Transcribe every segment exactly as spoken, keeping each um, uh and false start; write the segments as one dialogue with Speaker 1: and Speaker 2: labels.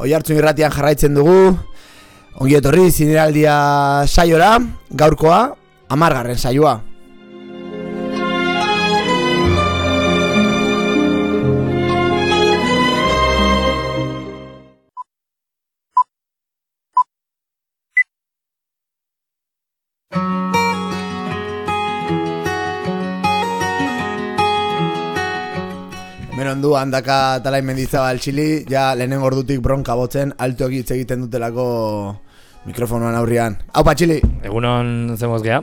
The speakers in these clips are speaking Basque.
Speaker 1: Oihartzun irratian jarraitzen dugu. Ongi etorri zineraldia saiora, gaurkoa hamargarren saioa. Merondu handaka talain mendizabal txili, ja lehenen gordutik bronka botzen, alto egitz egiten dutelako mikrofonoan aurrian. Haupa txili!
Speaker 2: Egunon zemoz geha?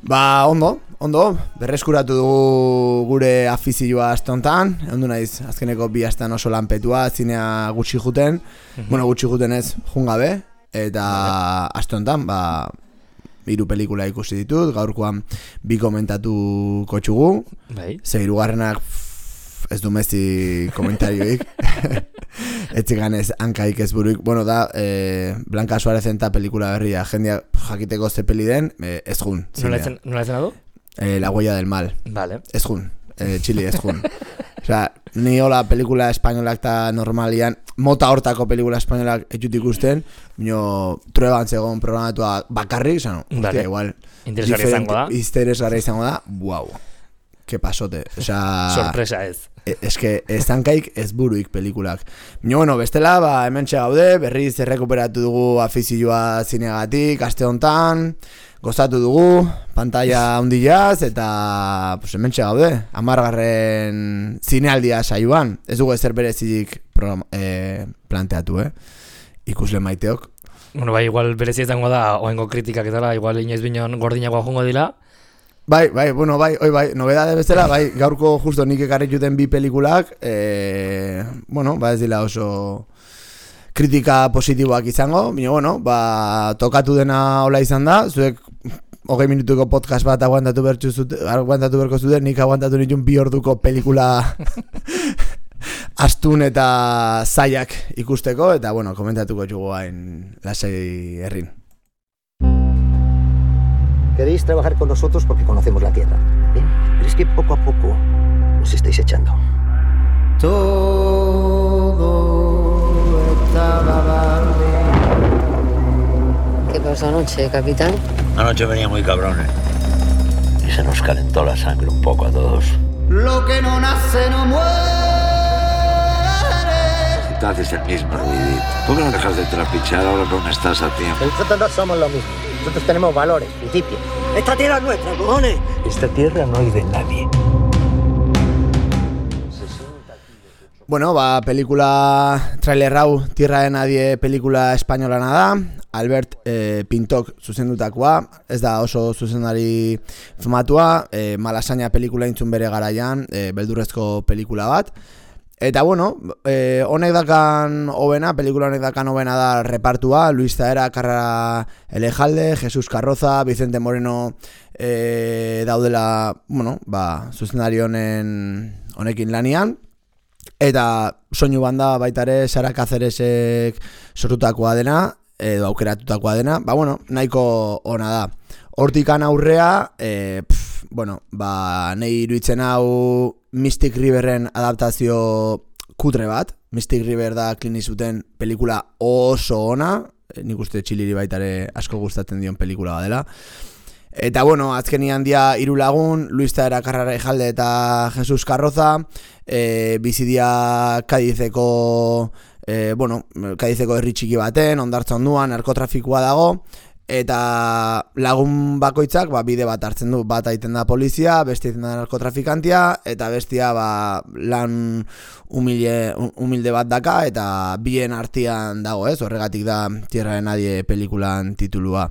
Speaker 1: Ba, ondo, ondo, berreskuratu dugu gure afizioa aste hontan, ondu naiz, azkeneko bi astean oso lanpetua, zinea gutxi juten, mm-hmm. bueno, gutxi juten ez, jungabe, eta aste hontan, ba, hiru pelikula ikusi ditut, gaurkoan bi komentatuko txugu,
Speaker 2: bai.
Speaker 1: Ze hirugarrenak ez du mezi komentarioik etzigan ez hankaik ez buruik. Bueno, da, eh, Blanca Suarezen eta pelikula berria jendia jakiteko ze peli den, eh, ez jun.
Speaker 2: Nola ezen adu?
Speaker 1: Eh, La huella del mal.
Speaker 2: Vale.
Speaker 1: Ez jun, eh, Txili ez jun. Osea, ni hola pelikula espainolak eta normalian, mota hortako pelikula espainolak etxut ikusten, bino trueban zegoen programatua bakarrik, zano,
Speaker 2: vale.
Speaker 1: Hostia, igual
Speaker 2: interesgarri izango da.
Speaker 1: Interesgarri izango da, wow. Que pasote, osea...
Speaker 2: Sorpresa ez.
Speaker 1: Ez que ez tankaik ez buruik pelikulak. Bino, bueno, bestela, ba, hemen txegaude, berriz errekuperatu dugu afizioa zineagatik, aste hontan, gozatu dugu, pantalla hundilaz, eta pues, hemen txegaude, hamargarren zinealdia saioan. Ez dugu ezer berezik program, eh, planteatu, eh? Ikusle maiteok.
Speaker 2: Bueno, bai, igual berezi izango da, oengo kritikak eta igual inoiz bineon gordinagoa jongo dila.
Speaker 1: Bai, bai, bueno, bai, oi, bai, nobedade bezala, bai, gaurko justo nik ekarri juten bi pelikulak, eh, bueno, ba ez dila oso kritika positiboak izango, bine, bueno, ba, tokatu dena hola izan da, zuek hogei minutuko podcast bat aguantatu bertzu zute, aguantatu berko zuten, nik aguantatu nitun bi orduko pelikula astun eta zaiak ikusteko, eta, bueno, komentatuko jugu hain lasai herrin.
Speaker 3: Queréis trabajar con nosotros porque conocemos la tierra. Bien, pero es que poco a poco nos estáis echando.
Speaker 4: Todo estaba bien.
Speaker 5: ¿Qué pasó anoche, capitán?
Speaker 6: Anoche venía muy cabrones. Y se nos calentó la sangre un poco a todos.
Speaker 4: Lo que no nace no muere.
Speaker 7: Tú haces el mismo ruidito. ¿Por qué no dejas de trapichar ahora que aún estás a tiempo?
Speaker 3: Nosotros no somos lo mismo. Nosotros tenemos valores, principios. Esta tierra es nuestra, cojones.
Speaker 6: Esta tierra no es de nadie.
Speaker 1: Bueno, ba, pelikula trailer hau Tierra de Nadie pelikula espainolana da. Albert eh, Pintok zuzendutakoa, ez da oso zuzendari famatua, eh, Malasaña pelikula intzun bere garaian, eh, beldurrezko pelikula bat. Eta bueno, eh, honek dakan hobena, pelikula honek dakan hobena da repartua, Luis Zahera, Carrara Elejalde, Jesus Carroza, Vicente Moreno eh, daudela, bueno, ba, zuzendari honen honekin lanian. Eta soinu banda baitare Sara Cáceresek sortutakoa dena, edo aukeratutakoa dena, ba bueno, nahiko ona da. Hortikan aurrea, eh, pff, bueno, ba, nahi iruditzen hau Mystic Riverren adaptazio kutre bat. Mystic River da Clint Eastwooden pelikula oso ona, e, nik uste Txiliri baitare asko gustatzen dion pelikula badela. Eta bueno, azkenian dia hiru lagun, Luis Zahera, Carrara Elejalde eta Jesus Carroza, e, bizidia Kadizeko, e, bueno, Kadizeko herri txiki baten, hondartza onduan, narkotrafikoa dago, eta lagun bakoitzak ba, bide bat hartzen du, bat aiten da polizia, beste aiten da narkotrafikantia, eta bestia ba, lan humilde, humilde bat daka, eta bien artean dago, ez? Horregatik da Tierra de Nadie pelikulan titulua.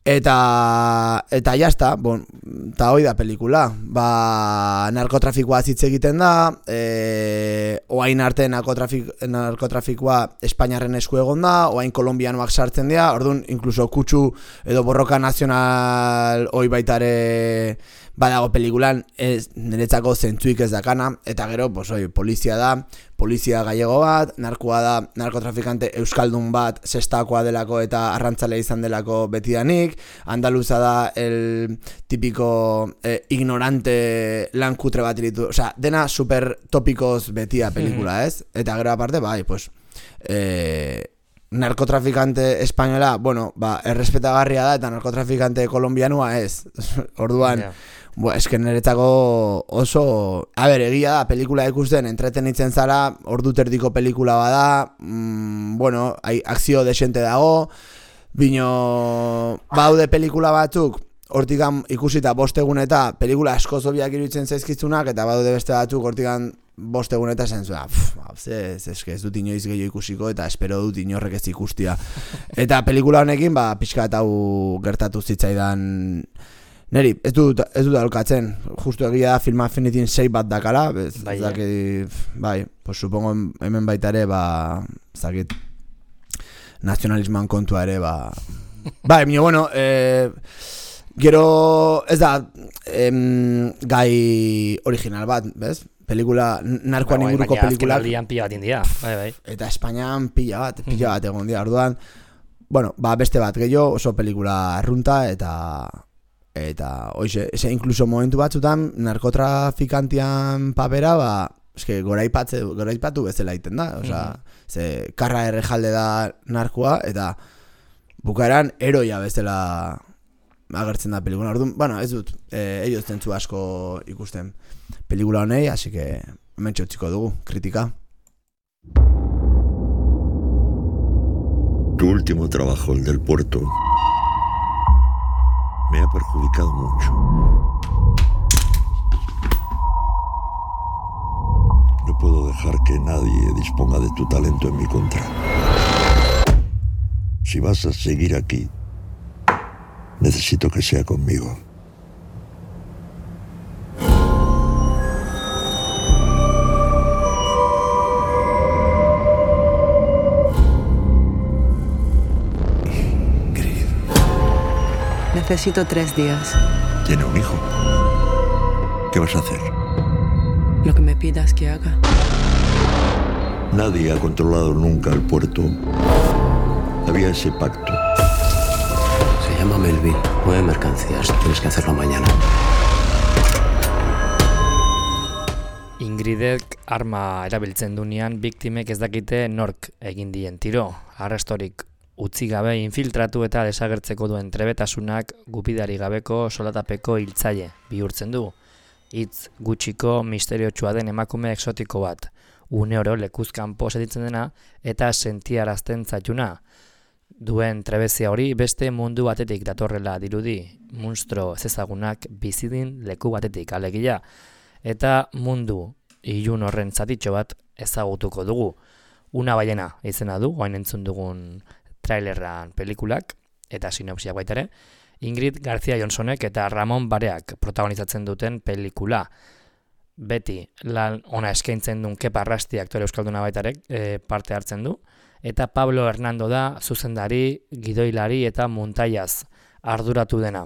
Speaker 1: Eta eta jazta, bon, eta hoi da pelikula. Ba, narkotrafikoa hitz egiten da, e, oain arte narkotrafik, narkotrafikoa Espainiarren esku egon da, oain kolombianoak sartzen dira, orduan, inkluso kutsu edo borroka nazional hoi baitare badago pelikulan, ez niretzako zentzuik ez dakana, eta gero, pues, oi, polizia da, polizia gallego bat, narkoa da, narkotrafikante euskaldun bat, sestakoa delako eta arrantzale izan delako betidanik, andaluza da el típico eh, ignorante lan kutre bat iritu, osea, dena super topikoz betia pelikula, ez? Eta gero aparte, bai, pues, e, narkotrafikante espainola, bueno, ba, errespetagarria da, eta narkotrafikante kolombianua ez. Orduan, yeah. Bo, esken niretzako oso, a ber, egia da, pelikula ikusten entretenitzen zara, ordu terdiko pelikula bada, mm, bueno, hai, akzio desente dago, bino, baude pelikula batzuk, hortikan ikusita bostegun eta pelikula asko zobiak iruditzen zaizkizunak, eta baude beste batzuk hortikan bostegun eta zen zuen, ez, ez, ez dut inoiz gehiago ikusiko, eta espero dut inorrek ez ikustia. Eta pelikula honekin, ba, pixka eta hau gertatu zitzaidan. Neri, ez dut, ez dut alkatzen, justu egia da Film Affinitin sei bat dakala, ez bai, daki, bai, pues supongo hemen baita ere, ba, zakit, nazionalismoan kontua ere, ba, bai, mino, bueno, eh, gero, ez da, em, gai original bat, bez? Pelikula, narkoan ba, inguruko pelikulak.
Speaker 2: Azken pila bat india, bai, bai.
Speaker 1: Eta Espainian pila bat, pila bat egon dia, orduan, bueno, ba, beste bat gehiago, oso pelikula arrunta, eta... Eta, oize, ese inkluso momentu batzutan narkotrafikantian papera, ba, eske goraipatze, goraipatu bezala egiten da, osea, mm-hmm. ze karra errejalde da narkoa, eta bukaeran eroia bezala agertzen da pelikula. Orduan, bueno, ez dut, eh, ellos zentzu asko ikusten pelikula honei, así que hemen txotziko dugu, kritika.
Speaker 5: Tu último trabajo, el del puerto, me ha perjudicado mucho. No puedo dejar que nadie disponga de tu talento en mi contra. Si vas a seguir aquí, necesito que sea conmigo.
Speaker 8: Necesito tres días.
Speaker 5: ¿Tiene un hijo? ¿Qué vas a hacer?
Speaker 8: Lo que me pidas que haga.
Speaker 5: Nadie ha controlado nunca el puerto. Había ese pacto.
Speaker 9: Se llama Melville. Mueve mercancías. Tienes que hacerlo mañana.
Speaker 2: Ingridek arma erabiltzen dunean biktimek ez dakite nork egin dien tiro. Arrastorik utzi gabe infiltratu eta desagertzeko duen trebetasunak gupidari gabeko solatapeko hiltzaile bihurtzen du. Hitz gutxiko misteriotsua den emakume exotiko bat, une oro lekuzkanpo sentitzen dena eta sentiarazten zaituna. Duen trebezia hori beste mundu batetik datorrela dirudi, monstro ezezagunak bizidin leku batetik alegia, eta mundu ilun horren zatitxo bat ezagutuko dugu. Una baiena izena du, oain entzun dugun trailerran pelikulak, eta sinopsiak baita ere, Ingrid García Johnsonek eta Ramon Bareak protagonizatzen duten pelikula. Beti lan ona eskaintzen duen Kepa Arrasti aktore euskalduna baita ere e, parte hartzen du, eta Pablo Hernando da zuzendari, gidoilari eta muntaiaz arduratu dena.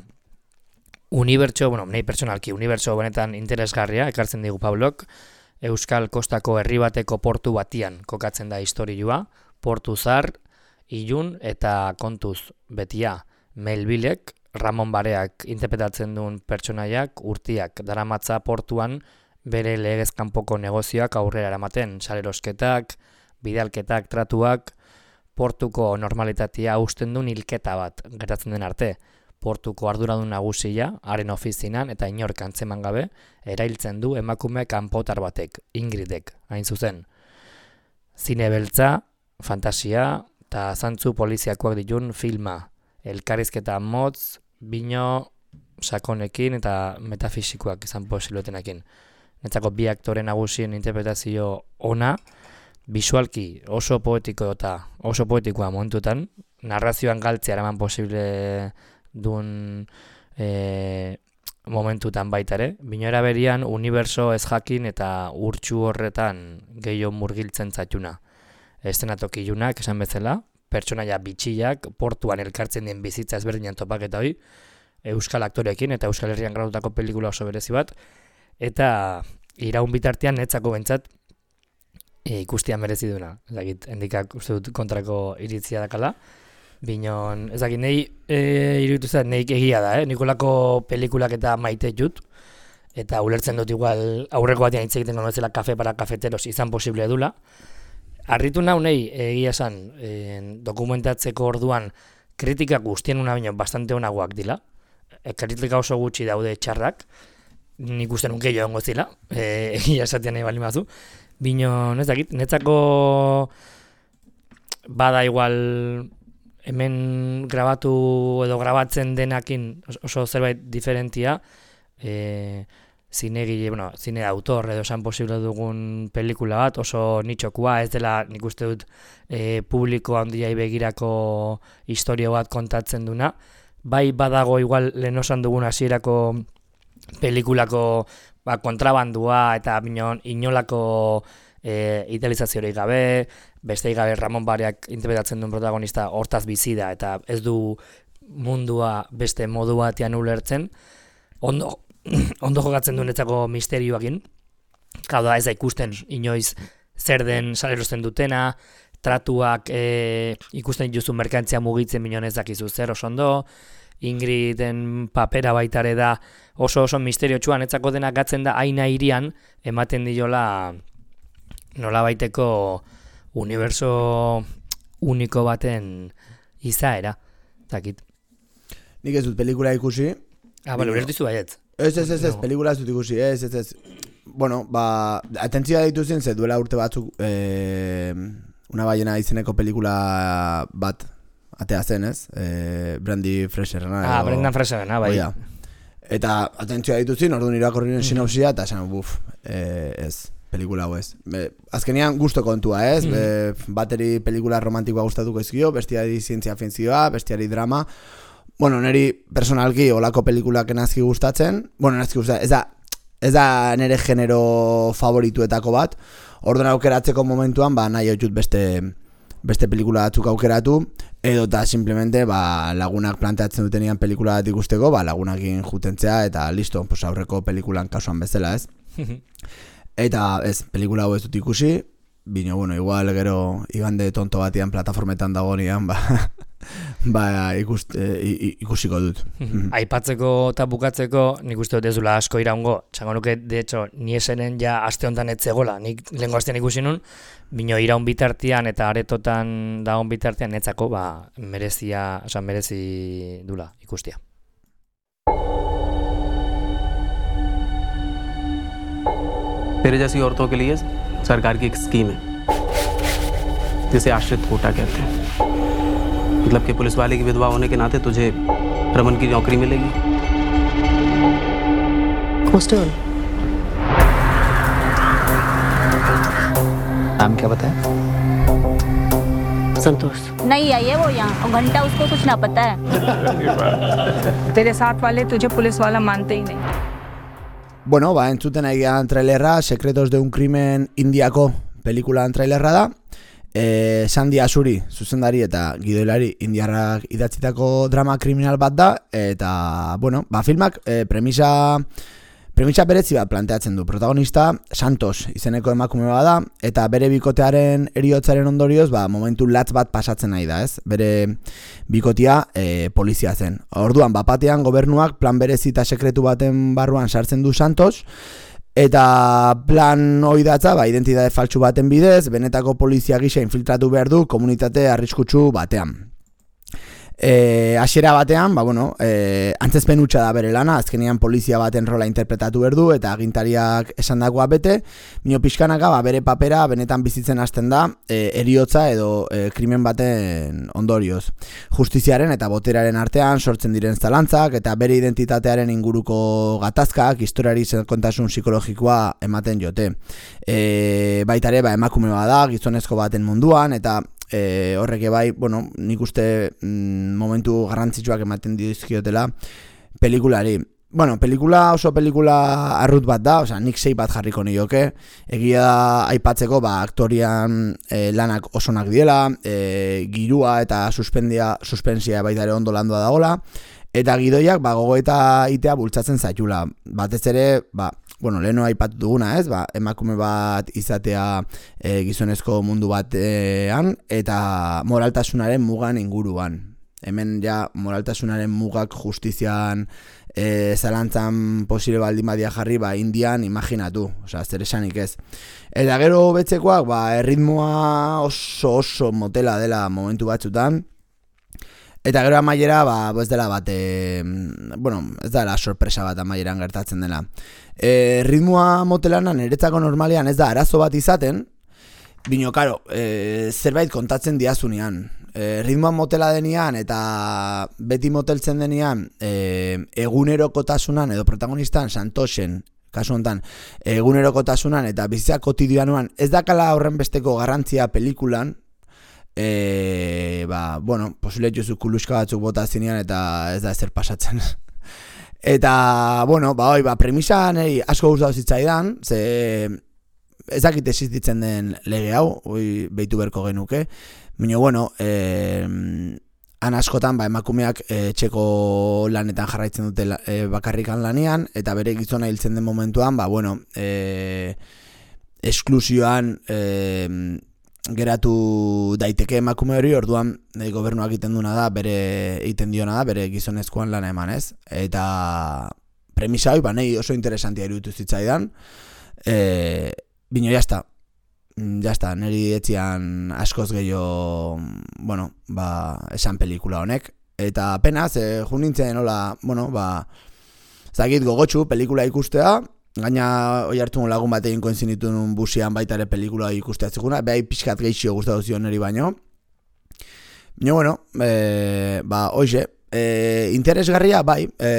Speaker 2: Unibertso, bueno, nahi pertsonalki, unibertso benetan interesgarria, ekartzen digu Pablok, Euskal Kostako herri bateko portu batian kokatzen da istorioa, portu zar, ilun eta kontuz betia. Melvillek, Ramon Bareak interpretatzen duen pertsonaiak urtiak daramatza portuan bere legezkanpoko negozioak aurrera eramaten, salerosketak, bidalketak, tratuak, portuko normalitatea hausten duen hilketa bat gertatzen den arte. Portuko arduradun nagusia, haren ofizinan eta inork antzeman gabe, erailtzen du emakume kanpotar batek, Ingridek, hain zuzen. Zine beltza, fantasia eta zantzu poliziakoak ditun filma, elkarrizketa motz, bino sakonekin eta metafisikoak izan posiluetenekin. Netzako bi aktore nagusien interpretazio ona, bisualki oso poetiko eta oso poetikoa momentutan, narrazioan galtzea eraman posible duen e, momentutan baita ere, binora berian uniberso ez jakin eta urtsu horretan gehiago murgiltzen zaituna. Estenatoki ilunak esan bezala, pertsonaia bitxiak, portuan elkartzen den bizitza ezberdinan topaketa hori, euskal aktoreekin eta Euskal Herrian gradutako pelikula oso berezi bat, eta iraun bitartean netzako bentsat e, ikustia merezi duna. Ezagit, endikak uste dut kontrako iritzia dakala, binon, ezagit, nahi e, iruditu zait, nahi egia da, eh? Nikolako pelikulak eta maite jut, eta ulertzen dut igual aurreko batean hitz egiten konozela kafe para kafeteros izan posible dula, Arritu naunei egia esan eh, dokumentatzeko orduan kritika guztien una baino bastante onagoak dila. E, kritika oso gutxi daude txarrak. Nik uste nuke joango zila. Eh, egia esatean nahi bali mazu. Bino, ez dakit, netzako bada igual hemen grabatu edo grabatzen denakin oso zerbait diferentia. Eh, zinegile, bueno, zine de autor edo esan posible dugun pelikula bat, oso nitxokua, ez dela nik uste dut e, publiko handiai begirako historia bat kontatzen duna. Bai badago igual lehen osan dugun hasierako pelikulako ba, kontrabandua eta binon inolako e, idealizaziorik gabe, besteik gabe Ramon Bariak interpretatzen duen protagonista hortaz bizi da eta ez du mundua beste modu batean ulertzen. Ondo ondo jokatzen duenetzako misterioakin. Hau da, ez da ikusten inoiz zer den salerosten dutena, tratuak e, ikusten dituzu merkantzia mugitzen minon ez dakizu zer oso ondo, Ingriden papera baitare da oso oso misterio txuan, etzako denak gatzen da aina irian, ematen diola nola baiteko universo uniko baten izaera. Zakit.
Speaker 1: Nik ez dut pelikula ikusi.
Speaker 2: Ah, bale, ulertu zu baietz.
Speaker 1: Ez, ez, ez, ez, pelikula ez dut ikusi, ez, ez, ez. Bueno, ba, atentzioa dituzien, ze duela urte batzuk eh, Una ballena izeneko pelikula bat atea zen, ez? Eh, Brandy Fraserena.
Speaker 2: Ah, Brendan Fraserena, bai.
Speaker 1: Oia. Eta atentzioa dituzien, orduan irakorrien mm-hmm. sinopsia, eta esan, buf, eh, ez, pelikula hau ez. Be, azkenean gusto kontua, ez? Mm-hmm. Be, bateri pelikula romantikoa gustatuko ezkio, bestiari zientzia fintzioa, bestiari drama. Bueno, neri personalki olako pelikulak enazki gustatzen. Bueno, enazki gustatzen, ez da, ez da nere genero favorituetako bat. Orduan aukeratzeko momentuan, ba, nahi hau beste, beste pelikula batzuk aukeratu, edo eta simplemente ba, lagunak planteatzen dutenian pelikula bat ikusteko, ba, lagunakin jutentzea, eta listo, pues, aurreko pelikulan kasuan bezala, ez? Eta ez, pelikula hau ez dut ikusi, bino, bueno, igual gero igande tonto batian plataformetan dagoenean, ba, ba ikust, e, ikusiko dut.
Speaker 2: Aipatzeko eta bukatzeko nik uste dut ez dula asko iraungo. Txango nuke, de hecho, ni esenen ja aste honetan etzegola. Nik lehenko astean ikusi nun, bino iraun bitartean eta aretotan dagoen bitartean netzako, ba, merezia, oza, merezi dula ikustia.
Speaker 9: तेरे जैसी औरतों के लिए सरकार की एक स्कीम है जिसे आश्रित कोटा कहते हैं। मतलब कि पुलिस वाले की विधवा होने के नाते तुझे रमन की नौकरी मिलेगी।
Speaker 8: कांस्टेबल,
Speaker 3: नाम क्या बताया?
Speaker 8: संतोष।
Speaker 10: नहीं आई है वो यहाँ और घंटा उसको कुछ ना पता है।
Speaker 11: तेरे साथ वाले तुझे पुलिस वाला मानते ही नहीं।
Speaker 1: Bueno, ba, entzuten egian trailerra, Secretos de un Crimen Indiako pelikulan trailerra da. E, Sandy Asuri, zuzendari eta gidoilari indiarrak idatzitako drama kriminal bat da. Eta, bueno, ba, filmak e, premisa, premisa berezi bat planteatzen du. Protagonista Santos izeneko emakume bat da, eta bere bikotearen heriotzaren ondorioz, ba, momentu latz bat pasatzen nahi da, ez? Bere bikotia e, polizia zen. Orduan, bapatean gobernuak plan berezi eta sekretu baten barruan sartzen du Santos, eta plan hori datza, ba, identitate faltsu baten bidez, benetako polizia gisa infiltratu behar du komunitate arriskutsu batean. E, hasiera batean, ba, bueno, e, antzezpen hutsa da bere lana, azkenean polizia baten rola interpretatu behar du, eta agintariak esandakoa bete, mino pixkanaka, ba, bere papera benetan bizitzen hasten da, e, heriotza edo e, krimen baten ondorioz. Justiziaren eta boteraren artean sortzen diren zalantzak, eta bere identitatearen inguruko gatazkak, historiari kontasun psikologikoa ematen jote. E, baitare, ba, emakume bada, gizonezko baten munduan, eta E, horrek bai, bueno, nik uste mm, momentu garrantzitsuak ematen dizkiotela pelikulari. Bueno, pelikula oso pelikula arrut bat da, osea, nik sei bat jarriko nioke. Egia da aipatzeko, ba, aktorian e, lanak osonak diela, e, girua eta suspendia, suspensia baita ere ondo landua dagola, eta gidoiak ba, gogoeta itea bultzatzen zaitula. Batez ere, ba, bueno, leheno aipatu duguna, ez? Ba, emakume bat izatea e, gizonezko mundu batean eta moraltasunaren mugan inguruan. Hemen ja moraltasunaren mugak justizian e, zalantzan posible baldin badia jarri, ba, Indian imaginatu, osea, zer esanik ez. Eta gero betzekoak, ba, erritmoa oso oso motela dela momentu batzutan, eta gero amaiera, ba, ez dela bat, e, bueno, ez dela sorpresa bat amaieran gertatzen dela. E, ritmoa motelana niretzako normalean ez da arazo bat izaten, bino, karo, e, zerbait kontatzen diazunean. E, ritmoa motela denean eta beti moteltzen denean e, egunerokotasunan edo protagonistan Santosen, kasu honetan, egunerokotasunan eta bizitza kotidianoan ez dakala horren besteko garrantzia pelikulan, e, ba, bueno, posible jozu kuluska batzuk bota zinean eta ez da ezer pasatzen. Eta, bueno, ba, oi, ba, premisa nahi asko gustatu zitzaidan, ze ez dakit existitzen den lege hau, oi, behitu berko genuke, baina, bueno, eh, han askotan ba, emakumeak eh, txeko lanetan jarraitzen dute eh, bakarrikan lanean, eta bere gizona hiltzen den momentuan, ba, bueno, eh, esklusioan eh, geratu daiteke emakume hori, orduan eh, gobernuak egiten duena da, bere egiten diona da, bere gizonezkoan lana eman, ez? Eta premisa hori, ba, nahi oso interesantia iruditu zitzaidan, eh, bino, jazta. Ja está, niri etzian askoz gehiago, bueno, ba, esan pelikula honek. Eta penaz, eh, jo nintzen, hola, bueno, ba, zagit gogotxu pelikula ikustea, gaina hoi hartu lagun bat egin koinzinitu nun busian baita ere pelikula ikustea zikuna, behai pixkat geixio gustatu zion niri baino. Baina, bueno, e, ba, hoxe, e, interesgarria, bai, e,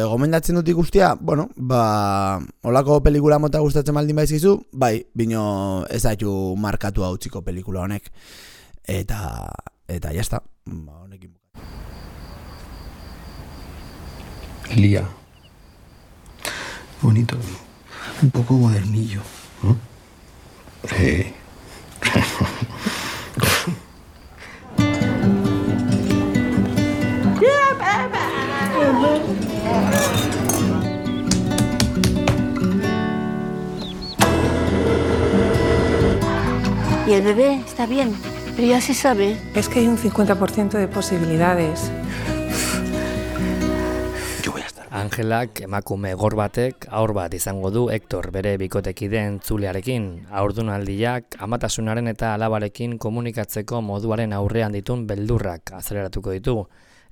Speaker 1: gomendatzen dut ikustea, bueno, ba, olako pelikula mota gustatzen baldin baizizu, bai, bino ez daitu markatu hau txiko pelikula honek, eta, eta jazta, ba, honekin.
Speaker 12: Lía. Bonito, un poco modernillo. ¿Mm? Sí.
Speaker 10: Y el bebé está bien, pero ya se sabe.
Speaker 11: Es que hay un cincuenta por ciento de posibilidades.
Speaker 2: Angelak emakume gor batek aur bat izango du Hector bere bikotekideen Zulearekin. Haurdunaldiak amatasunaren eta alabarekin komunikatzeko moduaren aurrean ditun beldurrak azeleratuko ditu.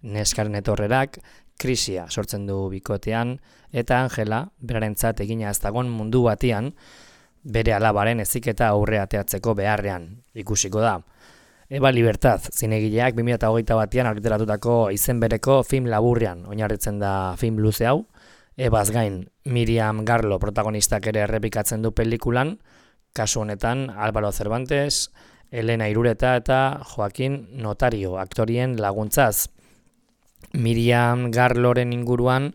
Speaker 2: Neskaren etorrerak krisia sortzen du bikotean eta Angela berarentzat egina ez dagon mundu batean bere alabaren heziketa aurre ateatzeko beharrean ikusiko da. Eba Libertad, zinegileak bi mila hogeita batean argitaratutako izen bereko film laburrean oinarritzen da film luze hau. Ebaz gain, Miriam Garlo protagonistak ere errepikatzen du pelikulan, kasu honetan Álvaro Cervantes, Elena Irureta eta Joaquin Notario aktorien laguntzaz. Miriam Garloren inguruan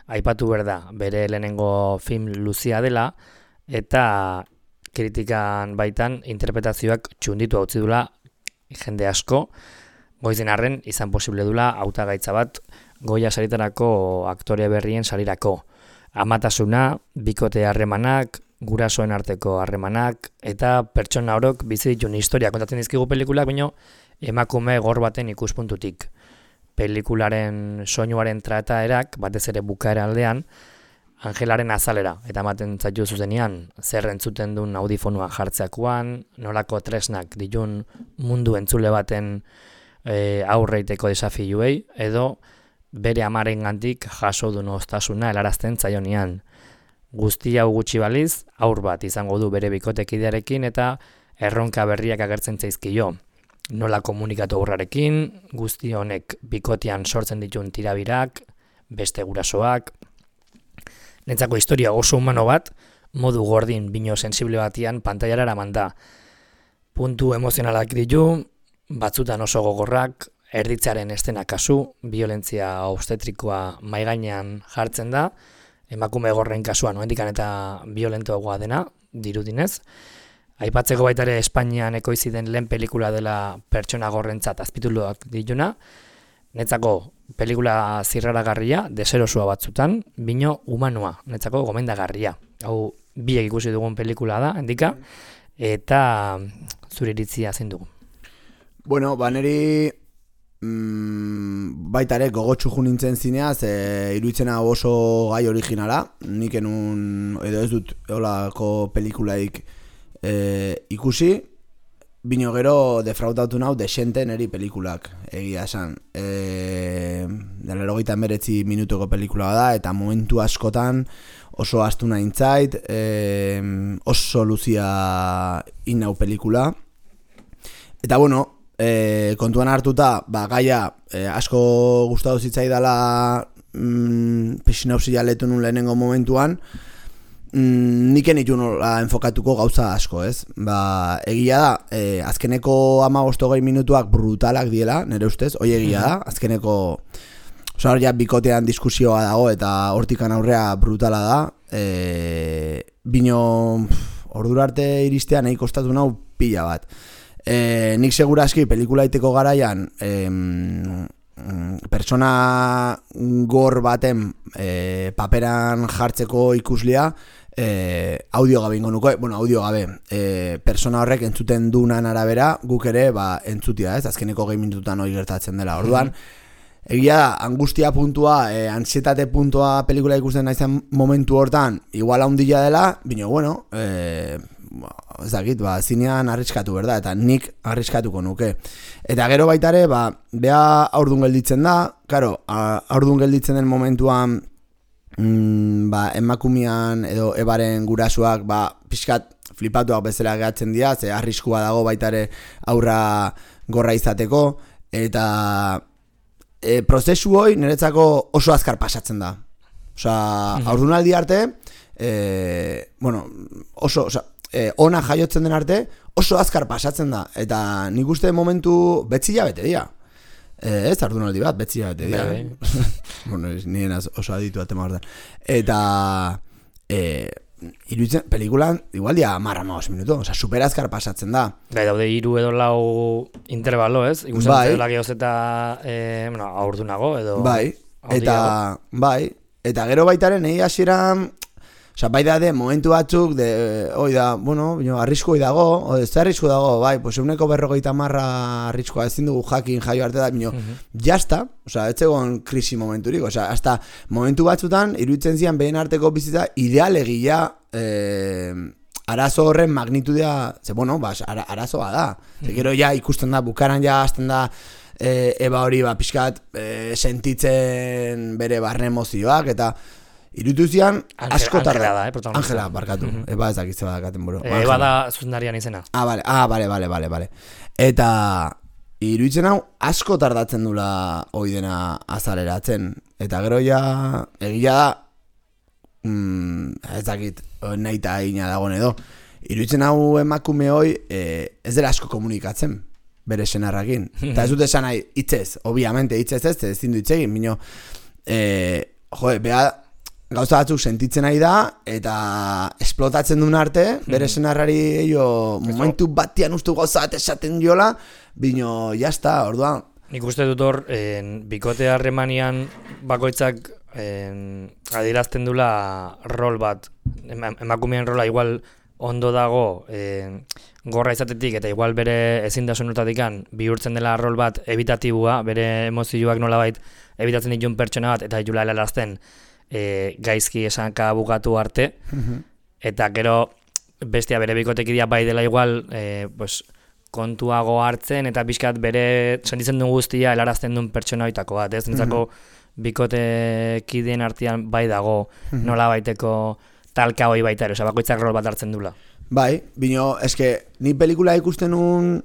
Speaker 2: aipatu berda, bere lehenengo film luzea dela, eta kritikan baitan interpretazioak txunditu hautzi dula jende asko, goizen arren izan posible dula hautagaitza bat Goya saritarako aktore berrien sarirako. Amatasuna, bikote harremanak, gurasoen arteko harremanak, eta pertsona orok bizi ditun historia kontatzen dizkigu pelikulak, baino emakume gor baten ikuspuntutik. Pelikularen soinuaren trataerak, batez ere bukaera aldean, Angelaren azalera, eta ematen zaitu zuzenean, zer entzuten duen audifonua jartzeakoan, nolako tresnak ditun mundu entzule baten e, aurreiteko desafiuei, edo bere amarengandik jaso duen ostasuna helarazten zaionean. Guzti hau gutxi baliz, aur bat izango du bere bikotekidearekin eta erronka berriak agertzen zaizkio. Nola komunikatu aurrarekin, guzti honek bikotean sortzen ditun tirabirak, beste gurasoak. Nentzako historia oso humano bat, modu gordin bino sensible batian pantailara eraman da. Puntu emozionalak ditu, batzutan oso gogorrak, erditzaren estena kasu, violentzia obstetrikoa maigainean jartzen da, emakume gorren kasuan, noendikan eta violentoagoa dena, dirudinez. Aipatzeko baita ere Espainian ekoizi den lehen pelikula dela pertsona gorrentzat azpituluak dituna, netzako pelikula zirraragarria, deserosua batzutan, bino humanoa, netzako gomendagarria. Hau biek ikusi dugun pelikula da, handika, eta zure iritzia zein dugu.
Speaker 1: Bueno, ba neri mm, baita ere gogotsu nintzen zineaz, e, iruditzen hau oso gai originala, nik enun, edo ez dut olako pelikulaik e, ikusi, bino gero defraudatu nau desente neri pelikulak, egia esan. E, Delerogita emeretzi minutuko pelikula da, eta momentu askotan oso astu nahintzait, e, oso luzia inau pelikula. Eta bueno, e, kontuan hartuta, ba, gaia e, asko gustatu zitzaidala mm, sinopsia letu nun lehenengo momentuan, mm, niken itu nola enfokatuko gauza asko, ez? Ba, egia da, e, azkeneko hamabost hogei minutuak brutalak diela, nire ustez, hoi egia da, azkeneko oza, ja, bikotean diskusioa dago eta hortikan aurrea brutala da, e, bino ordura arte iristea nahi kostatu nau pila bat. E, nik seguraski pelikula iteko garaian e, pertsona gor baten e, paperan jartzeko ikuslia e, audio gabe ingo nuko, bueno, audio gabe e, persona horrek entzuten dunan arabera guk ere ba, entzutia, ez? Azkeneko gehi minututan hori gertatzen dela, orduan egia da, angustia puntua, e, ansietate puntua pelikula ikusten naizen momentu hortan igual handia dela, bino bueno, e, ez dakit, ba, zinean arriskatu, berda, eta nik arriskatuko nuke. Eta gero baitare, ba, beha aurdun gelditzen da, karo, aurdun gelditzen den momentuan, mm, ba, emakumian edo ebaren gurasuak, ba, pixkat flipatuak bezala gehatzen dira, ze arriskua dago baitare aurra gorra izateko, eta e, prozesu hoi niretzako oso azkar pasatzen da. Osa, aurdunaldi arte, e, bueno, oso, osa, E, ona jaiotzen den arte oso azkar pasatzen da, eta nik uste momentu betzila bete dira, e, ez ardunaldi bat betzila bete dira, bueno, nien oso aditu atema hortan, eta e, iruditzen, pelikulan igual dia marra maos minutu, oza, super azkar pasatzen da.
Speaker 2: Bai, daude hiru edo lau intervalo, ez? Ikusten bai. Zela gehoz eta e, bueno, aurdunago edo
Speaker 1: bai, eta bai, eta gero baitaren egi hasieran Osa, bai da de, momentu batzuk, de, oi da, bueno, arriskoi dago, o, ez da arrisko dago, bai, pues euneko berrogeita marra arriskoa ezin dugu jakin jaio arte da, bino, uh-huh. jazta, osa, ez egon krisi momenturik, osa, hasta momentu batzutan, iruditzen zian behin arteko bizitza, idealegia, eh, arazo horren magnitudea, ze, bueno, ba, ara, arazoa da, uh-huh. ze gero ja ikusten da, bukaran ja, azten da, e, eba hori, ba, pixkat, e, sentitzen bere barne emozioak, eta, irutuzian asko tarda
Speaker 2: da, eh, protagonista.
Speaker 1: Angela, barkatu. Mm-hmm. Eba ez dakitze badakaten buru.
Speaker 2: E, eba da zuzendarian izena.
Speaker 1: Ah, vale, ah, vale, vale, vale, vale. Eta iruditzen hau asko tardatzen dula hoi dena azaleratzen. Eta gero ja, egia da, mm, ez dakit, nahi eta egina dagoen edo. Iruditzen hau emakume hoi eh, ez dela asko komunikatzen bere senarrakin. Eta ez dut esan nahi, hitzez, obviamente hitzez ez, ez zindu hitzegin, bino, eh, joe, beha, gauza batzuk sentitzen nahi da, eta esplotatzen duen arte, bere senarrari eio, momentu batian ustu gauza bat esaten diola, bino, jazta, orduan.
Speaker 2: Nik uste dut hor, en, bikote harremanian bakoitzak en, adierazten dula rol bat, emakumeen rola igual ondo dago en, gorra izatetik, eta igual bere ezintasunotatikan bihurtzen dela rol bat ebitatibua, bere emozioak nolabait ebitatzen ditun pertsona bat, eta ditula helarazten, E, gaizki esanka bukatu arte, uh-huh. eta gero bestia bere bikotekidia bai dela igual e, pues, kontuago hartzen eta pixkat bere sentitzen duen guztia helarazten duen pertsona hoitako bat, ez? Nintzako uh-huh. bikotekideen artean bai dago uh-huh. nola baiteko talka hoi baita ere, oza, bakoitzak rol bat hartzen dula.
Speaker 1: Bai, bino, eske, ni pelikula ikusten un,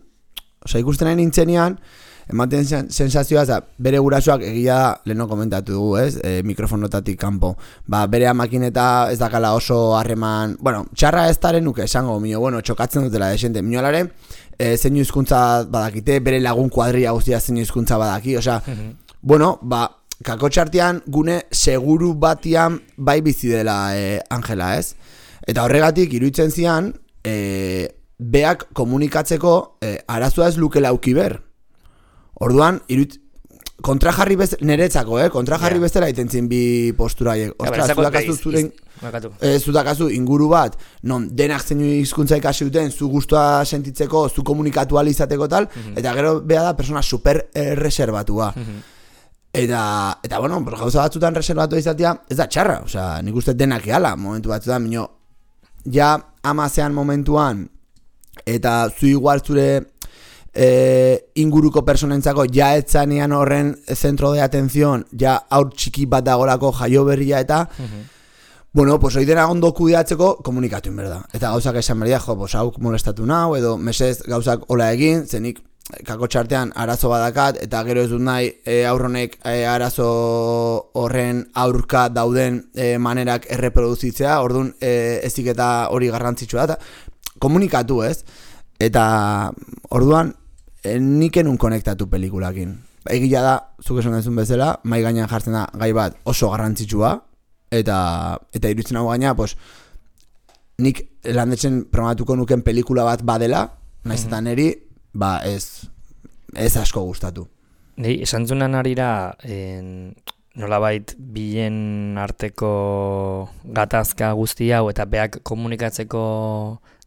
Speaker 1: oza, ikusten nahi nintzenean, ematen sensazioa, za, bere gurasoak egia leheno komentatu dugu, ez, e, mikrofonotatik kanpo. Ba, bere amakineta ez dakala oso harreman, bueno, txarra ez daren nuke esango, mino, bueno, txokatzen dutela desente. Mino alare, e, zeinu hizkuntza badakite, bere lagun kuadria guztia zeinu hizkuntza badaki, osea, uh-huh. bueno, ba, kakotxartian gune seguru batian bai bizi dela e, Angela, ez? Eta horregatik, iruditzen zian, e, beak komunikatzeko e, arazoa ez luke lauki ber. Orduan, irut, kontrajarri bez, niretzako, eh? Kontrajarri yeah. bezala itentzin bi postura haiek. Ostras, zudakazu zuren... Eh, zudakazu inguru bat, non, denak zeinu hizkuntza ikasi duten, zu gustua sentitzeko, zu komunikatu izateko tal, mm-hmm. eta gero beha da persona super eh, reserbatua. Mm-hmm. Eta, eta bueno, gauza batzutan reservatu izatea, ez da txarra, osea, nik uste denak ehala, momentu batzutan, minio, ja amazean momentuan, eta zu igual zure e, inguruko personentzako ja etzanean horren zentro de atención, ja aur txiki bat dagolako jaio berria eta, mm-hmm. bueno, pues hoi dena ondo kudeatzeko komunikatu inberda. Eta gauzak esan berdia, jo, pues hauk molestatu nau, edo mesez gauzak hola egin, zenik kako txartean arazo badakat, eta gero ez dut nahi e, aurronek e, arazo horren aurka dauden e, manerak erreproduzitzea, orduan e, ezik eta hori garrantzitsua da, komunikatu ez, eta orduan e, nik enun konektatu pelikulakin. Egia da, zuk esan dezun bezala, mai gainean jartzen da gai bat oso garrantzitsua, eta eta iruditzen hau gaina, pues, nik landetzen programatuko nuken pelikula bat badela, naiz eta neri, ba ez, ez asko gustatu.
Speaker 2: Nei, esan zunan arira, en, nolabait bilen arteko gatazka guzti hau eta beak komunikatzeko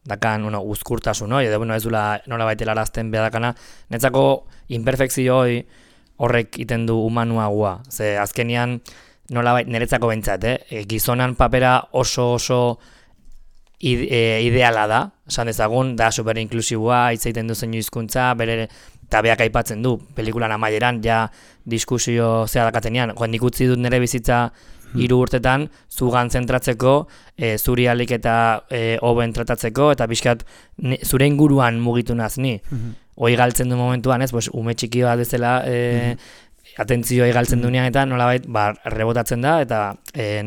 Speaker 2: dakan, bueno, uzkurtasun hoi, edo bueno, ez dula nolabait helarazten beha dakana, netzako imperfekzio hoi horrek iten du humanuagua, ze azkenian nolabait niretzako bentsat, eh? Gizonan papera oso oso ide, e, ideala da, esan dezagun, da super inklusiboa, hitz egiten du zeinu hizkuntza, bere eta beak aipatzen du, pelikulan amaieran, ja diskusio zea dakatenean, joan nik utzi dut nire bizitza hiru urtetan, zugan zentratzeko, e, zuri alik eta e, hoben tratatzeko, eta pixkat zure inguruan mugitu naz ni. Mm-hmm. Hoi galtzen du momentuan, ez, pues, ume txiki bat bezala, e, mm-hmm. atentzioa galtzen duenean eta nolabait ba, rebotatzen da eta eh,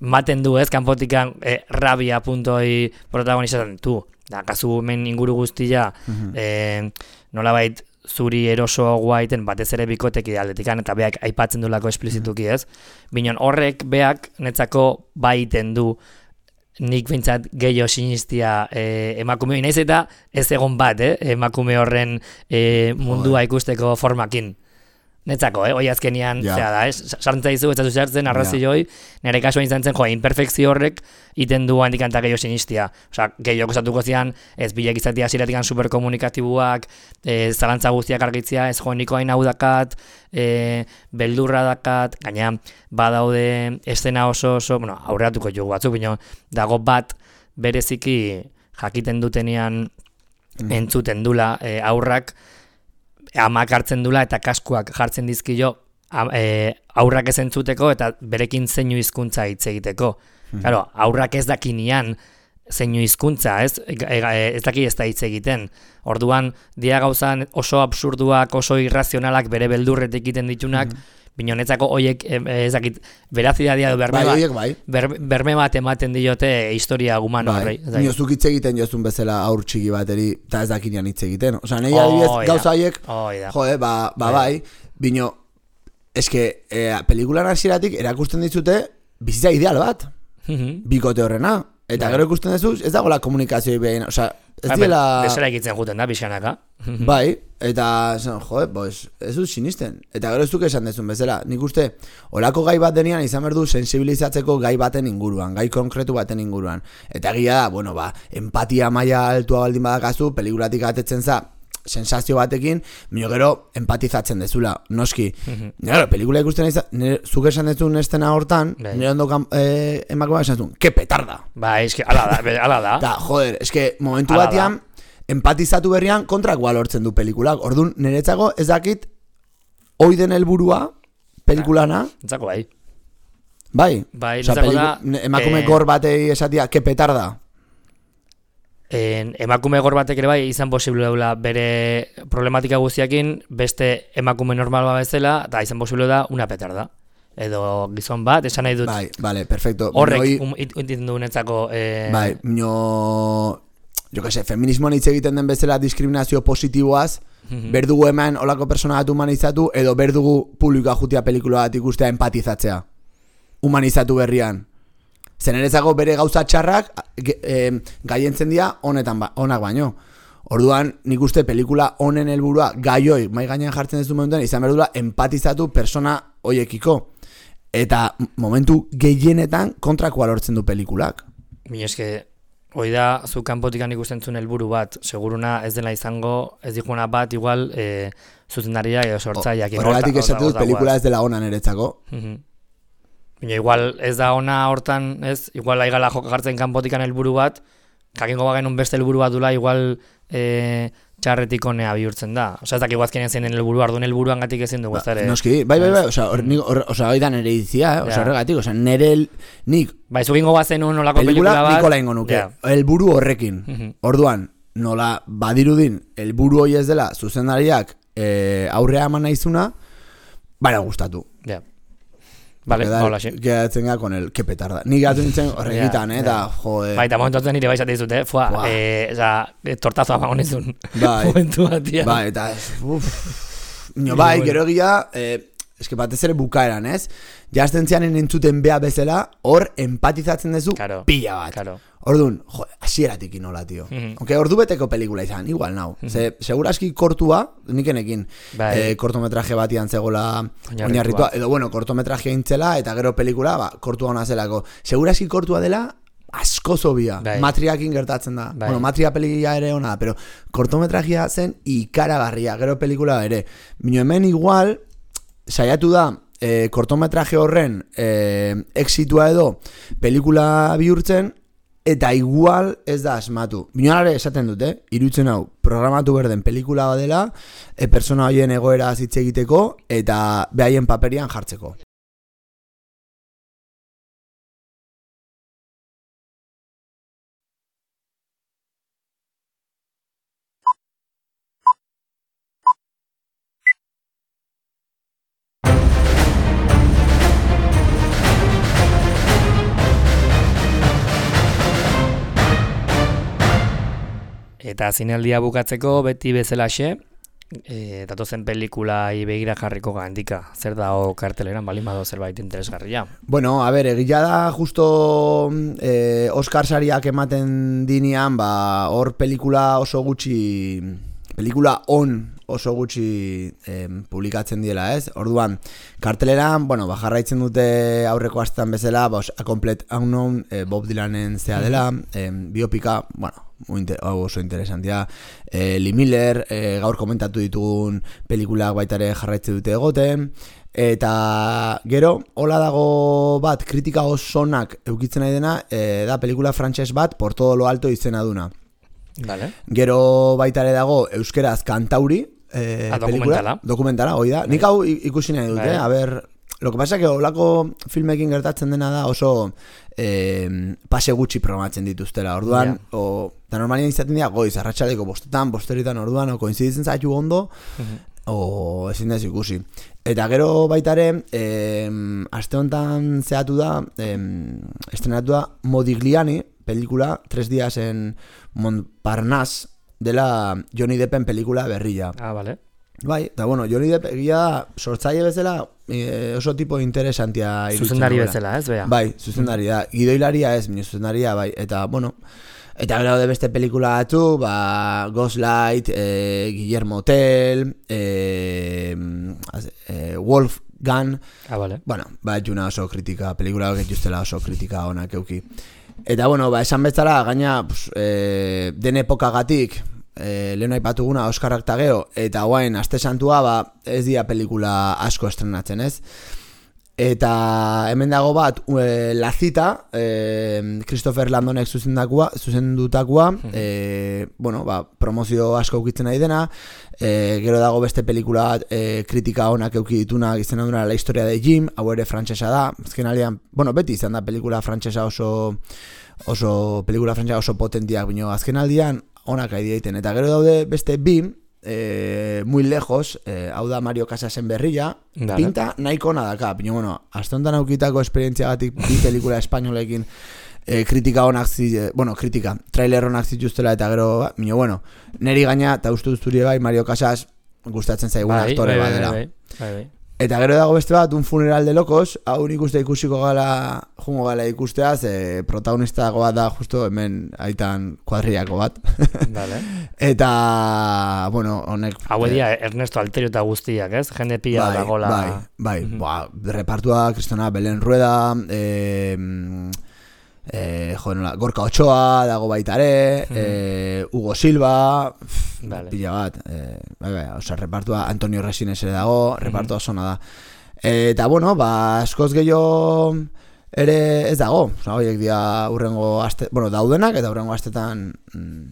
Speaker 2: maten du ez, kanpotikan eh, rabia puntoi protagonizatzen tu. Da, kasu hemen inguru guztia eh, nolabait zuri eroso guaiten batez ere bikotek idealdetikan eta beak aipatzen dulako esplizituki ez. Binon horrek beak netzako baiten du nik bintzat gehiago sinistia eh, emakume hori naiz eta ez egon bat eh, emakume horren eh, mundua ikusteko formakin. Netzako, eh? Hoi azkenian, yeah. zera da, eh? Sartza izu, ez da zuzertzen, arrazioi, yeah. Nire kasuan izan zen, jo, imperfekzio horrek iten du handikanta gehiago sinistia. Osa, gehiago kusatuko zian, ez bilek izatea ziratikan superkomunikatibuak, e, zalantza guztiak argitzia, ez jo, niko hain hau dakat, e, beldurra dakat, gaina, badaude estena oso oso, bueno, aurreatuko jugu batzuk, bino, dago bat bereziki jakiten dutenean mm. entzuten dula e, aurrak, amak hartzen dula eta kaskuak jartzen dizkio e, aurrak ez entzuteko eta berekin zeinu hizkuntza hitz egiteko. Hmm. Claro, aurrak ez dakinian zeinu hizkuntza, ez? E, e, ez daki ez da hitz egiten. Orduan, dia gauzan oso absurduak, oso irrazionalak bere beldurretik egiten ditunak, hmm. Binonetzako hoiek ez dakit verazidadia edo berme,
Speaker 1: bai,
Speaker 2: bai. ber, berme bat ematen diote historia humano horrei.
Speaker 1: Bai, nozuk hitz egiten jozun bezala aur txiki bateri eta ez dakinean hitz egiten. Osa, nahi adibidez oh, gauza haiek,
Speaker 2: oh,
Speaker 1: jode, ba, ba bai, bino, eske, e, pelikulan hasieratik erakusten dizute bizitza ideal bat, bikote horrena. Eta bai. Gero ikusten duzu, ez dagoela komunikazioa behin, oza, ez ba, diela...
Speaker 2: Desera egitzen juten da, pixanaka.
Speaker 1: Bai, eta, joe, pues, ez dut sinisten. Eta gero ez duk esan dezun bezala. Nik uste, olako gai bat denean izan behar du sensibilizatzeko gai baten inguruan, gai konkretu baten inguruan. Eta egia da, bueno, ba, empatia maila altua baldin badakazu, pelikulatik atetzen za, sensazio batekin, mino gero empatizatzen dezula, noski. Mm-hmm. Gero, pelikula ikusten izan, zuk esan dezun estena hortan, nire ondo eh, emakumea esan dezun, ke petarda.
Speaker 2: Ba, eske, ala da, ala da.
Speaker 1: Da, joder, eske, momentu ala batean, da. Empatizatu berrian kontrakoa lortzen du pelikulak. Orduan, niretzako ez dakit, hoi den helburua pelikulana.
Speaker 2: Entzako bai.
Speaker 1: Bai.
Speaker 2: Bai,
Speaker 1: Osa,
Speaker 2: entzako da.
Speaker 1: Emakume eh... gor batei esatia, ke petarda.
Speaker 2: En, emakume gor batek ere bai izan posible daula bere problematika guztiakin beste emakume normal bat bezala eta izan posible da una petarda edo gizon bat, esan nahi dut
Speaker 1: bai, vale, perfecto
Speaker 2: horrek intindu um, netzako eh...
Speaker 1: bai, mino jo que se, feminismoan hitz egiten den bezala diskriminazio positiboaz mm-hmm. berdugu hemen olako persona bat humanizatu edo berdugu publikoa jutia pelikula bat ikustea empatizatzea humanizatu berrian. Zeneretzako bere gauza txarrak e, gaientzen dira honetan ba, onak baino. Orduan, nik uste pelikula honen helburua gaioi mai gainean jartzen ez du momentuan izan behar dula empatizatu persona hoiekiko. Eta momentu gehienetan kontrakoa lortzen du pelikulak.
Speaker 2: Mi eske, hoi da, zu kanpotikan ikusten zuen helburu bat, seguruna ez dela izango, ez dikuena bat, igual, e, zuzendariak edo sortzaileak.
Speaker 1: Horregatik esatu dut pelikula ez dela ona niretzako.
Speaker 2: Baina igual ez da ona hortan, ez, igual aigala joka jartzen kanpotikan helburu bat, jakingo bagenun beste helburu bat dula, igual e, txarretik honea bihurtzen da. Osa, ez dakik guazkenen zein den helburu, arduan helburuan gatik ezin dugu ez da ere.
Speaker 1: Noski, bai, bai, bai, osa, hori da nire izia, eh? Osa, horregatik, osa, nire, nik...
Speaker 2: Bai, zugingo bazen un olako pelikula bat...
Speaker 1: Nikola ingo nuke, helburu horrekin. Orduan, nola badirudin, helburu hori ez dela, zuzendariak aurrea eman naizuna, baina gustatu.
Speaker 2: Ja. Vale, hola, sí.
Speaker 1: Quedatzen ga con el que petarda. Ni gatu nintzen horregitan, eh, eta, jode...
Speaker 2: Bai, eta momentuatzen nire baixat dizut, eh, fua, eh, oza, tortazoa magonezun.
Speaker 1: Bai,
Speaker 2: momentu batia.
Speaker 1: Bai, eta, uff... Nio, bai, gero egia, eh, eske batez ere bukaeran, ez? Jazten zianen entzuten bea bezala, hor empatizatzen dezu
Speaker 2: claro,
Speaker 1: pila bat.
Speaker 2: Claro.
Speaker 1: Orduan, jo, asieratik inola, tio. Mm-hmm. Onke, ordu beteko pelikula izan, igual nau. Mm-hmm. Ze, seguraski kortua, nikenekin, bai. eh, kortometraje batian zegoela oinarritua. Edo, bueno, kortometraje intzela, eta gero pelikula, ba, kortua hona zelako. Seguraski kortua dela, asko zobia. Bai. Matriakin gertatzen da. Bai. Bueno, matria pelikula ere ona, pero kortometrajea zen ikaragarria, gero pelikula ere. Bino hemen igual, saiatu da, eh, kortometraje horren eh, exitua edo pelikula bihurtzen, eta igual ez da asmatu. Binonare esaten dute, irutzen hau, programatu berden pelikula badela, e, persona horien egoera hitz egiteko, eta behaien paperian jartzeko.
Speaker 2: Eta zinaldia bukatzeko beti bezalaxe, e, datozen pelikulai begira jarriko gandika. Zer da o karteleran balin bado zerbait interesgarria?
Speaker 1: Bueno, a ber, egila da justo eh, Oscar sariak ematen dinean, ba, hor pelikula oso gutxi, pelikula on oso gutxi eh, publikatzen diela, ez? Orduan, karteleran, bueno, ba, jarraitzen dute aurreko astean bezala, ba, A Complete Unknown, eh, Bob Dylanen zea dela, eh, biopika, bueno, Inter, oh, oso interesantia. eh, Lee Miller, eh, gaur komentatu ditugun pelikulak baita ere jarraitzen dute egoten, eta gero hola dago bat kritika osonak eukitzen nahi dena, eh, da pelikula frantses bat Por todo lo alto izena duna.
Speaker 2: Vale.
Speaker 1: Gero baita ere dago euskeraz Kantauri, eh,
Speaker 2: A, dokumentala.
Speaker 1: Dokumentala, hoi da. Nik hau ikusi nahi dut, eh? A ber, lo que pasa que olako filmekin gertatzen dena da oso eh, pase gutxi programatzen dituztela. Orduan, yeah. o, eta normalian izaten dira goiz, arratsaleko bostetan, bosteritan orduan, o koinziditzen zaitu ondo, uh-huh. o ezin da ikusi. Eta gero baitare, eh, aste honetan zehatu da, eh, estrenatu da Modigliani, pelikula, tres días en Montparnasse, dela Johnny Deppen pelikula berria.
Speaker 2: Ah, vale.
Speaker 1: Bai, eta bueno, Johnny Depp egia da sortzaile bezala e, oso tipo interesantia irutzen.
Speaker 2: Zuzendari bezala, ez, bea?
Speaker 1: Bai, zuzendari da. Gidoilaria ez, minu zuzendaria, bai. Eta, bueno, eta gero de beste pelikula batu, ba, Ghostlight, e, Guillermo Tell, e, e, Wolfgang.
Speaker 2: Ah, vale.
Speaker 1: Bueno, ba, etxuna oso kritika, pelikula hori justela oso kritika onak euki. Eta, bueno, ba, esan bezala, gaina, pues, e, den epokagatik, E, lehen aipatuguna Oskarrak ta gero, eta guain aste santua, ba, ez dira pelikula asko estrenatzen, ez? Eta hemen dago bat, e, La Cita, e, Christopher Landonek zuzendakua, zuzendutakoa, e, bueno, ba, promozio asko ukitzen nahi dena, e, gero dago beste pelikula bat, e, kritika onak euki ditunak izena duna La Historia de Jim, hau ere frantsesa da, azken aldean, bueno, beti izan da pelikula frantsesa oso, oso, pelikula frantsesa oso potentiak, bino, azken aldean, onak aidi egiten, eta gero daude beste bi, eh, muy lejos, eh, hau da Mario Casasen berria, Dale. Pinta nahiko ona daka, pino, bueno, azte honetan aukitako esperientziagatik bi pelikula espainolekin eh, kritika onak zi, eh, bueno, kritika, trailer onak zituztela, eta gero, pino, bueno, neri gaina, eta uste duzturi bai, Mario Casas gustatzen zaigun bai, aktore
Speaker 2: bai,
Speaker 1: badela.
Speaker 2: Bai, bai, bai.
Speaker 1: Eta gero dago beste bat, un funeral de locos, hau nik uste ikusiko gala, jungo gala ikustea, ze protagonista bat da justo hemen aitan kuadriako bat.
Speaker 2: Vale.
Speaker 1: Eta, bueno, honek...
Speaker 2: Hau edia Ernesto Alterio eta guztiak, ez? Jende pila
Speaker 1: bai,
Speaker 2: dagola...
Speaker 1: Bai, bai, mm-hmm. Ba, repartua, Kristona Belen Rueda, eh... Eh, jo, nola, Gorka Ochoa dago baitare, mm. eh, Hugo Silva, vale. Pila bat, eh, bai, bai, oza, repartua Antonio Resines ere dago, repartua mm-hmm. zona da. Eh, eta, bueno, ba, askoz gehiago ere ez dago, oza, horiek dia urrengo aste, bueno, daudenak eta urrengo astetan mm,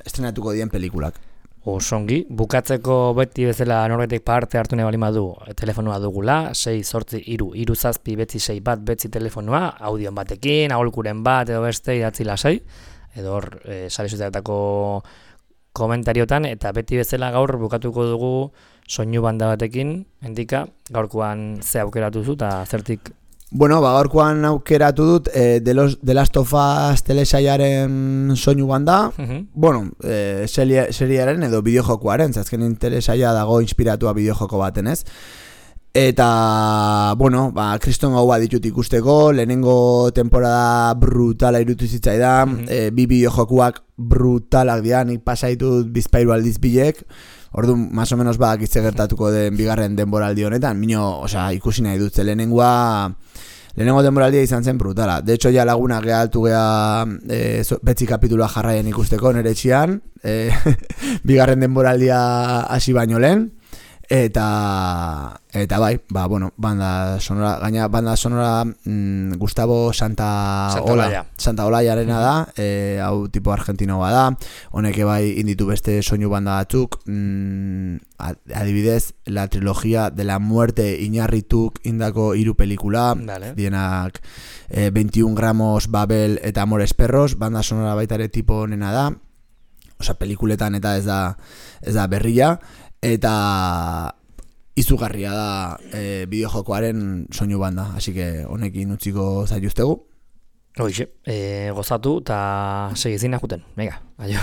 Speaker 1: estrenatuko dien pelikulak.
Speaker 2: Osongi, bukatzeko beti bezala norbetek parte hartu nahi balima du telefonoa dugula, sei zortzi iru, iru zazpi betzi sei bat betzi telefonoa, audion batekin, aholkuren bat edo beste idatzi lasai, edo hor e, sare sozialetako komentariotan, eta beti bezala gaur bukatuko dugu soinu banda batekin, endika, gaurkoan ze aukeratu zu eta zertik...
Speaker 1: Bueno, ba, gaurkoan aukeratu dut eh, de, los, de Last of Us telesaiaren soinu banda, uh-huh. bueno, eh, seriaren edo bideojokoaren, zazken telesaia dago inspiratua bideojoko baten, ez? Eta, bueno, ba, kriston gau bat ditut ikusteko, lehenengo temporada brutala irutu zitzaidan, uh-huh. eh, bi bideojokoak brutalak dira, nik pasaitut bizpairu aldiz bilek, orduan, más o menos ba, gitze gertatuko den bigarren denboraldi honetan, mino, osea, ikusi nahi dut, lehenengoa, lehenengo denboraldia izan zen brutala. De hecho, ja laguna gehaltu geha e, betzi kapitulua jarraien ikusteko nere etxian, e, bigarren denboraldia hasi baino lehen, eta eta bai, ba, bueno, banda sonora, gaina banda sonora mm, Gustavo Santa,
Speaker 2: Santa Olaya.
Speaker 1: Santa Olayarena da, e, hau tipo argentinoa da, honek bai inditu beste soinu banda batzuk, mm, adibidez, la trilogía de la muerte Iñarrituk indako hiru pelikula, vale. Dienak eh, veintiún gramos, Babel eta Amores Perros, banda sonora baitare tipo honena da, osea, pelikuletan eta ez da, ez da berria, eta izugarria da e, bideojokoaren soinu banda, así que honekin utziko zaituztegu.
Speaker 2: Hoxe, e, gozatu eta segizina juten, venga, aio.